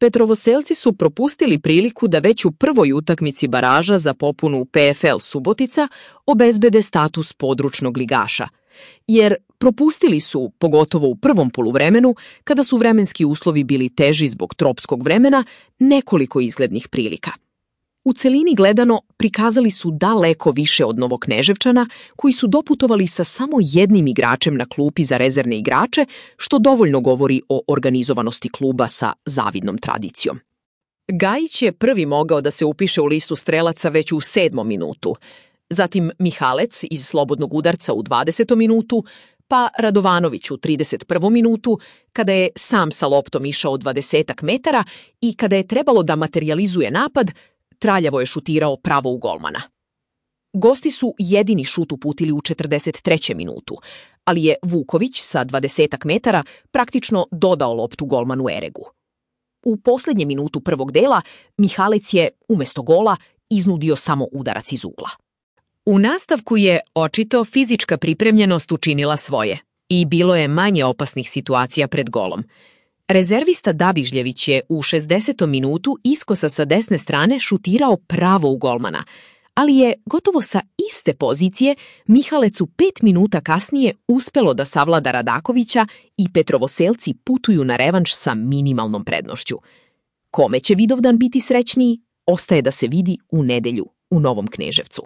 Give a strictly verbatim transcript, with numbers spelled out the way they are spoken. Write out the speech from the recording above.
Petrovoselci su propustili priliku da već u prvoj utakmici baraža za popunu P F L Subotica obezbede status područnog ligaša, jer propustili su, pogotovo u prvom poluvremenu, kada su vremenski uslovi bili teži zbog tropskog vremena, nekoliko izglednih prilika. U celini gledano prikazali su daleko više od Novokneževčana, koji su doputovali sa samo jednim igračem na klupi za rezervne igrače, što dovoljno govori o organizovanosti kluba sa zavidnom tradicijom. Gajić je prvi mogao da se upiše u listu strelaca već u sedmom minutu, zatim Mihalec iz slobodnog udarca u dvadesetom minutu, pa Radovanović u trideset prvom minutu, kada je sam sa loptom išao dvadesetak metara i kada je trebalo da materijalizuje napad, traljavo je šutirao pravo u golmana. Gosti su jedini šut uputili u četrdeset trećem minutu, ali je Vuković sa dvadesetak metara praktično dodao loptu golmanu Eregu. U poslednjem minutu prvog dela Mihalec je, umesto gola, iznudio samo udarac iz ugla. U nastavku je očito fizička pripremljenost učinila svoje i bilo je manje opasnih situacija pred golom. Rezervista Dabižljević je u šezdesetom minutu iskosa sa desne strane šutirao pravo u golmana, ali je gotovo sa iste pozicije Mihalec u pet minuta kasnije uspelo da savlada Radakovića i Petrovoselci putuju na revanš sa minimalnom prednošću. Kome će Vidovdan biti srećniji, ostaje da se vidi u nedelju u Novom Kneževcu.